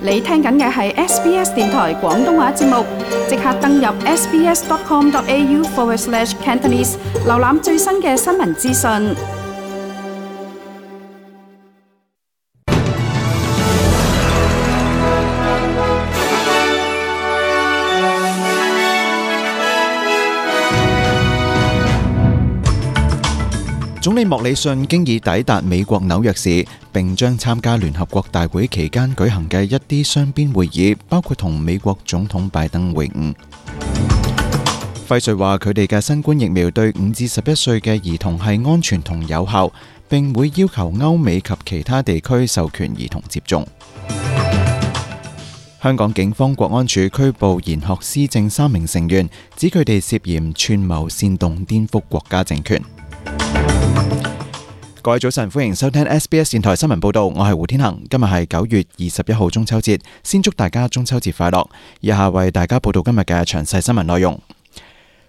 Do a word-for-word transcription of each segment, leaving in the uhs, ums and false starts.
你聽緊嘅係 S B S 電台廣東話節目，即刻登入 sbs.com.au forward slash Cantonese， 瀏覽最新嘅新聞資訊。總理莫里遜經已抵達美國紐約市，並將參加聯合國大會期間舉行嘅一啲雙邊會議，包括同美國總統拜登會晤。輝瑞話佢哋嘅新冠疫苗對五至十一歲嘅兒童係安全同有效，並會要求歐美及其他地區授權兒童接種。香港警方國安處拘捕賢學思政三名成員，指佢哋涉嫌串謀煽動顛覆國家政權。各位早晨，歡迎收聽 S B S 電台新聞報道，我係胡天恒。今日係九月二十一號中秋節，先祝大家中秋節快樂。以下為大家報道今日嘅詳細新聞內容。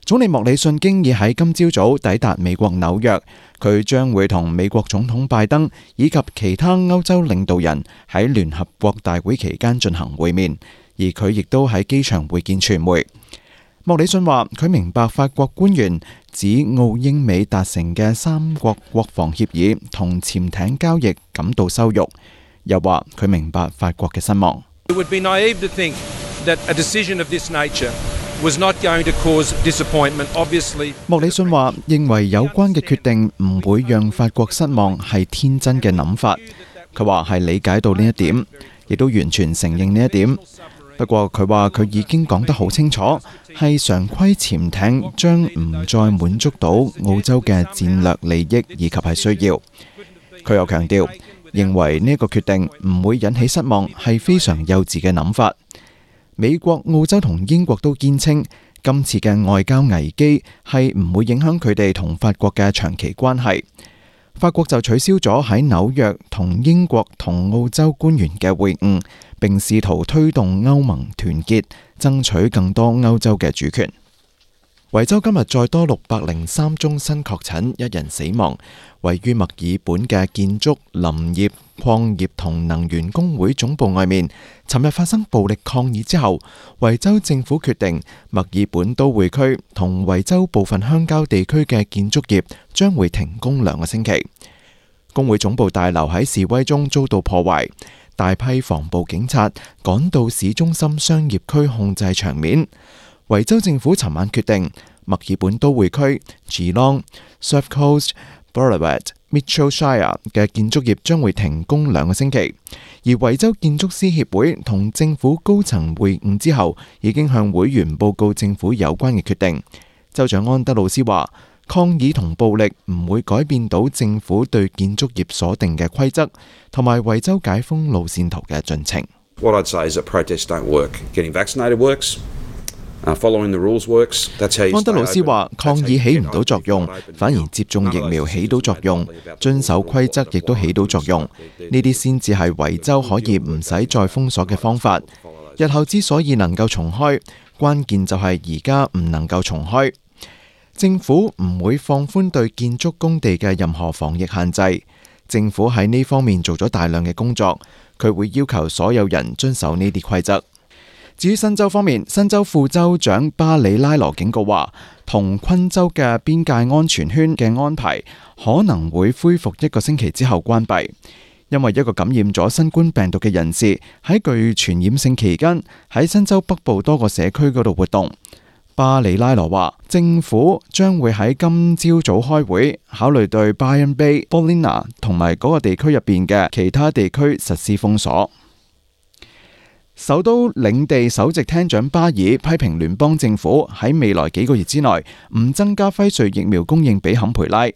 總理莫里遜經已喺今朝早抵達美國紐約，佢將會同美國總統拜登以及其他歐洲領導人喺聯合國大會期間進行會面，而佢亦都喺機場會見傳媒。莫里遜話佢明白法國官員指澳英美達成嘅三國國防協議同潛艇交易感到羞辱，又話佢明白法國嘅失望。It would be naive to think that a decision of this nature was not going to cause disappointment. Obviously， 莫里遜話認為有關嘅決定唔會讓法國失望係天真嘅諗法。佢話係理解到呢一點，亦都完全承認呢一點。不過佢話佢已經講得好清楚，係常規潛艇將唔再滿足到澳洲嘅戰略利益以及係需要。佢又強調，認為呢一個決定唔會引起失望係非常幼稚嘅諗法。美國、澳洲同英國都堅稱，今次嘅外交危機係唔會影響佢哋同法國嘅長期關係。法國就取消咗喺紐約同英國同澳洲官員嘅會晤，並試圖推動歐盟團結，爭取更多歐洲嘅主權。維州今日再多六百零三宗新確診，一人死亡。位於墨爾本嘅建築、林業、礦業同能源工會總部外面，尋日發生暴力抗議之後，維州政府決定墨爾本都會區同維州部分鄉郊地區嘅建築業將會停工兩個星期。工會總部大樓喺示威中遭到破壞，大批防暴警察趕到市中心商業區控制場面。維州政府尋晚決定，墨爾本都會區、Geelong、Surf Coast、Ballarat、Mitchell Shire 嘅建築業將會停工兩個星期。而維州建築師協會同政府高層會晤之後，已經向會員報告政府有關嘅決定。州長安德魯斯話，抗議同暴力唔會改變到政府對建築業所定嘅規則，同埋維州解封路線圖嘅進程。What I'd say is that protests don't work. Getting vaccinated works. Following the rules works. 安德魯斯話：抗議起唔到作用，反而接種疫苗起到作用，遵守規則亦都起到作用。呢啲先至係維州可以唔使再封鎖嘅方法。日後之所以能夠重開，關鍵就係而家唔能夠重開。政府唔會放寬對建築工地嘅任何防疫限制。政府喺呢方面做咗大量嘅工作，佢會要求所有人遵守呢啲規則。至於新州方面，新州副州長巴里拉羅警告話，同昆州嘅邊界安全圈嘅安排可能會恢復一個星期之後關閉，因為一個感染咗新冠病毒嘅人士喺具傳染性期間喺新州北部多個社區嗰度活動。巴里拉羅話，政府將會喺今朝早開會，考慮對 Byron Bay、Ballina 同埋嗰個地區入邊嘅其他地區實施封鎖。首都領地首席廳長巴爾批評聯邦政府喺未來幾個月之內唔增加輝瑞疫苗供應俾坎培拉。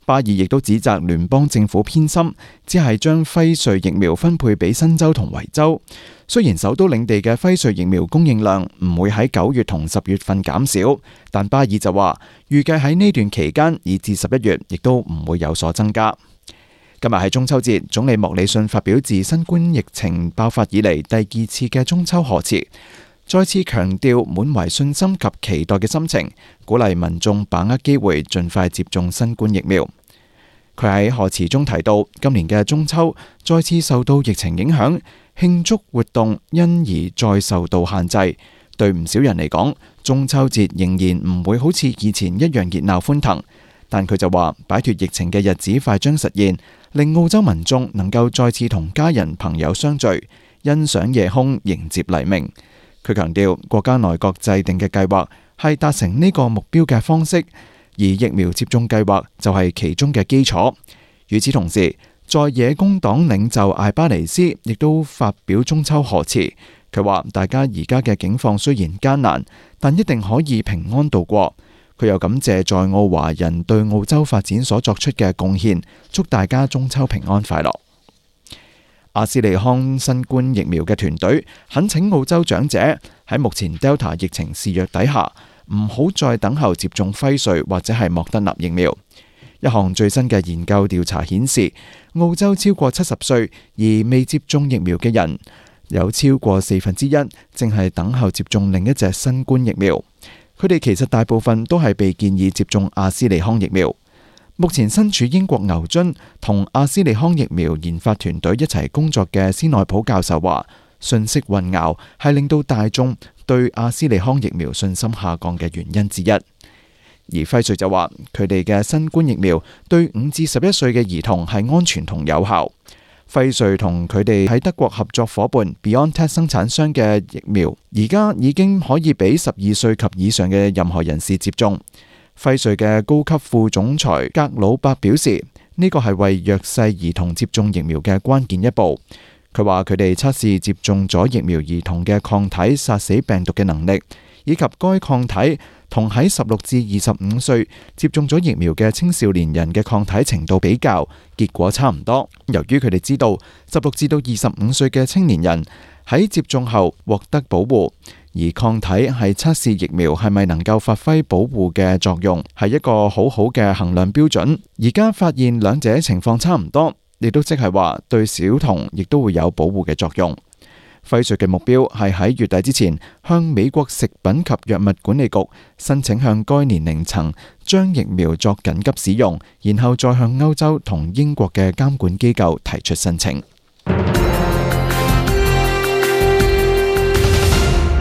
巴爾亦都指責聯邦政府偏心，只係將輝瑞疫苗分配俾新州同維州。雖然首都領地嘅輝瑞疫苗供應量唔會喺九月同十月份減少，但巴爾就話預計喺呢段期間以至十一月亦都唔會有所增加。今日係中秋節，總理莫里遜發表自新冠疫情爆發以嚟第二次嘅中秋賀詞，再次強調滿懷信心及期待嘅心情，鼓勵民眾把握機會盡快接種新冠疫苗。佢喺賀詞中提到，今年嘅中秋再次受到疫情影響，慶祝活動因而再受到限制。對唔少人嚟講，中秋節仍然唔會好似以前一樣熱鬧歡騰。但佢就話，擺脫疫情嘅日子快將實現，令澳洲民眾能夠再次同家人朋友相聚，欣賞夜空，迎接黎明。佢強調，國家內閣制定嘅計劃係達成呢個目標嘅方式，而疫苗接種計劃就係其中嘅基礎。與此同時，在野工黨領袖艾巴尼斯亦都發表中秋賀詞。佢話：大家而家嘅境況雖然艱難，但一定可以平安度過。佢又感謝在澳華人對澳洲發展所作出嘅貢獻，祝大家中秋平安快樂。阿斯利康新冠疫苗嘅團隊懇請澳洲長者喺目前 Delta 疫情肆虐底下，唔好再等候接種輝瑞或者係莫德納疫苗。一項最新嘅研究調查顯示，澳洲超過七十歲而未接種疫苗嘅人，有超過四分之一正係等候接種另一隻新冠疫苗。佢哋其實大部分都係被建議接種阿斯利康疫苗。目前身處英國牛津同阿斯利康疫苗研發團隊一齊工作嘅斯內普教授話，信息混淆係令到大眾對阿斯利康疫苗信心下降嘅原因之一。而輝瑞就話，佢哋嘅新冠疫苗對五至十一歲嘅兒童係安全同有效。輝瑞同佢哋喺德國合作夥伴 BioNTech 生產商嘅疫苗，而家已經可以俾十二歲及以上嘅任何人士接種。輝瑞嘅高級副總裁格魯伯表示，呢個係為弱勢兒童接種疫苗嘅關鍵一步。佢話佢哋測試接種咗疫苗兒童嘅抗體殺死病毒嘅能力，以及該抗體同喺十六至二十五歲接種咗疫苗嘅青少年人嘅抗體程度比較，結果差唔多。由於佢哋知道十六至到二十五歲嘅青年人喺接種後獲得保護，而抗體係測試疫苗係咪能夠發揮保護嘅作用，係一個好好嘅衡量標準。而家發現兩者情況差唔多，亦都即係話對小童亦都會有保護嘅作用。輝瑞嘅目標係喺月底之前向美國食品及藥物管理局申請向該年齡層將疫苗作緊急使用，然後再向歐洲同英國嘅監管機構提出申請。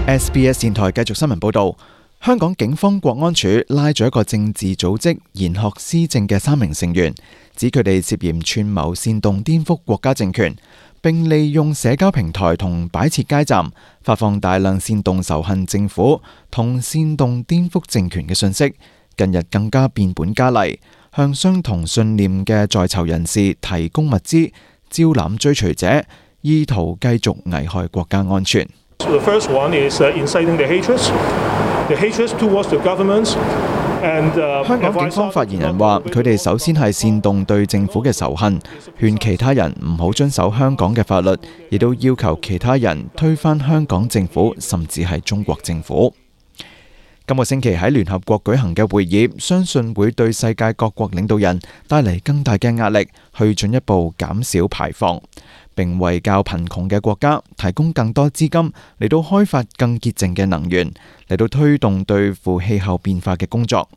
S B S 電台繼續新聞報道，香港警方國安處拉咗一個政治組織研學思政嘅三名成員，指佢哋涉嫌串謀煽動顛覆國家政權，並利用社交平台同擺設街站，發放大量煽動仇恨政府同煽動顛覆政權嘅信息。近日更加變本加厲，向相同信念嘅在囚人士提供物資，招攬追隨者，意圖繼續危害國家安全。The first one is inciting the hatred, the hatred towards the government. 香港警方發言人話，佢哋首先係煽動對政府嘅仇恨，勸其他人唔好遵守香港嘅法律，亦都要求其他人推翻香港政府，甚至係中國政府。今個星期喺聯合國舉行嘅會議，相信會對世界各國領導人帶嚟更大嘅壓力，去進一步減少排放，並為較貧窮嘅國家提供更多資金嚟到開發更潔淨嘅能源，嚟到推動對付氣候變化嘅工作。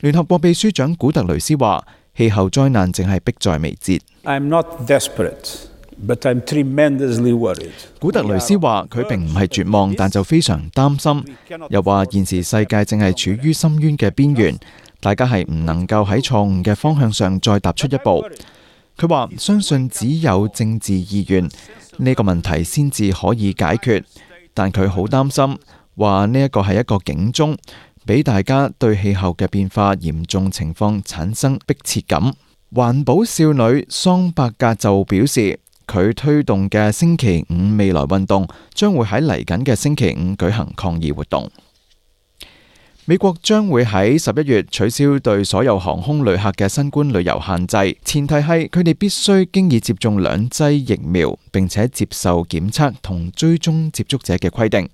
聯合國秘書長古特雷斯話：氣候災難正係迫在眉睫。I'm not desperate, but I'm tremendously worried. 古特雷斯話：佢並唔係絕望，但就非常擔心。又話現時世界正係處於深淵嘅邊緣，大家係唔能夠喺錯誤嘅方向上再踏出一步。佢話：相信只有政治意願，呢個問題先至可以解決。但佢好擔心，話呢一個係一個警鐘，俾大家對氣候嘅變化嚴重情況產生迫切感。環保少女桑伯格就表示，佢推動嘅星期五未來運動將會喺嚟緊嘅星期五舉行抗議活動。美國將會喺十一月取消對所有航空旅客嘅新冠旅遊限制，前提係佢哋必須經已接種兩劑疫苗，並且接受檢測同追蹤接觸者嘅規定。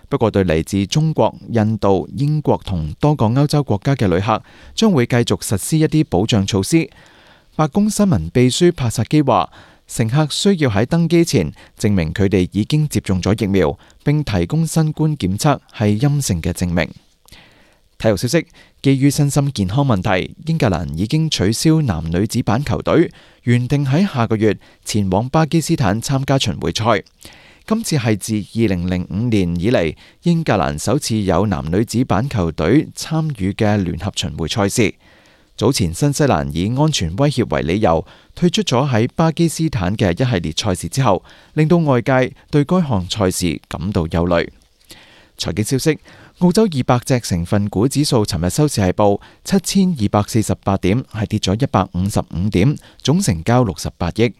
不過對嚟自中國、印度、英國同多個歐洲國家嘅旅客，將會繼續實施一啲保障措施。白宮新聞秘書帕薩基話，乘客需要喺登機前證明佢哋已經接種咗疫苗，並提供新冠檢測係陰性嘅證明。體育消息，基於身心健康問題，英格蘭已經取消男女子板球隊原定喺下個月前往巴基斯坦參加巡迴賽。今次係自二零零五年以嚟，英格蘭首次有男女子板球隊參與嘅聯合巡迴賽事。早前新西蘭以安全威脅為理由退出咗喺巴基斯坦嘅一系列賽事之後，令到外界對該項賽事感到憂慮。財經消息，澳洲二百隻成分股指數尋日收市係報七千二百四十八點，係跌咗一百五十五點，總成交六十八億。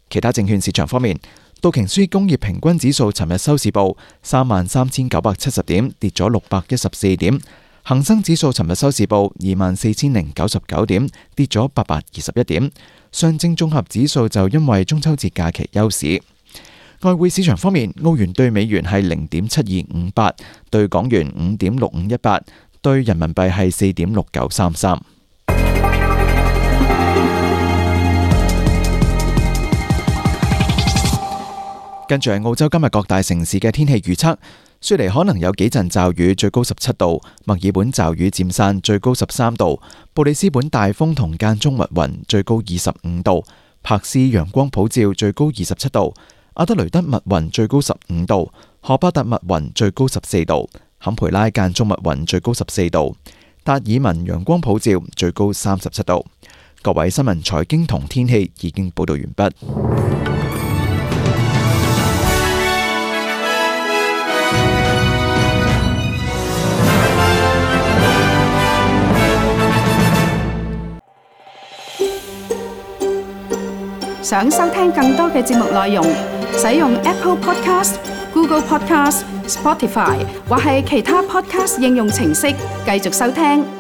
其他證券市場方面，道瓊斯工業平均指數尋日收市報三萬三千九百七十點，跌咗六百一十四點。恒生指數尋日收市報二萬四千零九十九點，跌咗八百二十一點。上證綜合指數就因為中秋節假期休市。外匯市場方面，澳元對美元係零點七二五八，對港元五點六五一八，對人民幣係四點六九三三。跟住係澳洲今日各大城市嘅天氣預測。雪梨可能有幾陣驟雨，最高十七度；墨爾本驟雨漸散，最高十三度；布里斯本大風同間中密雲，最高二十五度；柏斯陽光普照，最高二十七度；阿德雷德密雲，最高十五度；荷巴特密雲，最高十四度；坎培拉間中密雲，最高十四度；達爾文陽光普照，最高三十七度。各位新聞、財經同天氣已經報道完畢。想收聽更多嘅節目內容，使用 Apple Podcast、Google Podcast、Spotify 或係其他 Podcast 應用程式繼續收聽。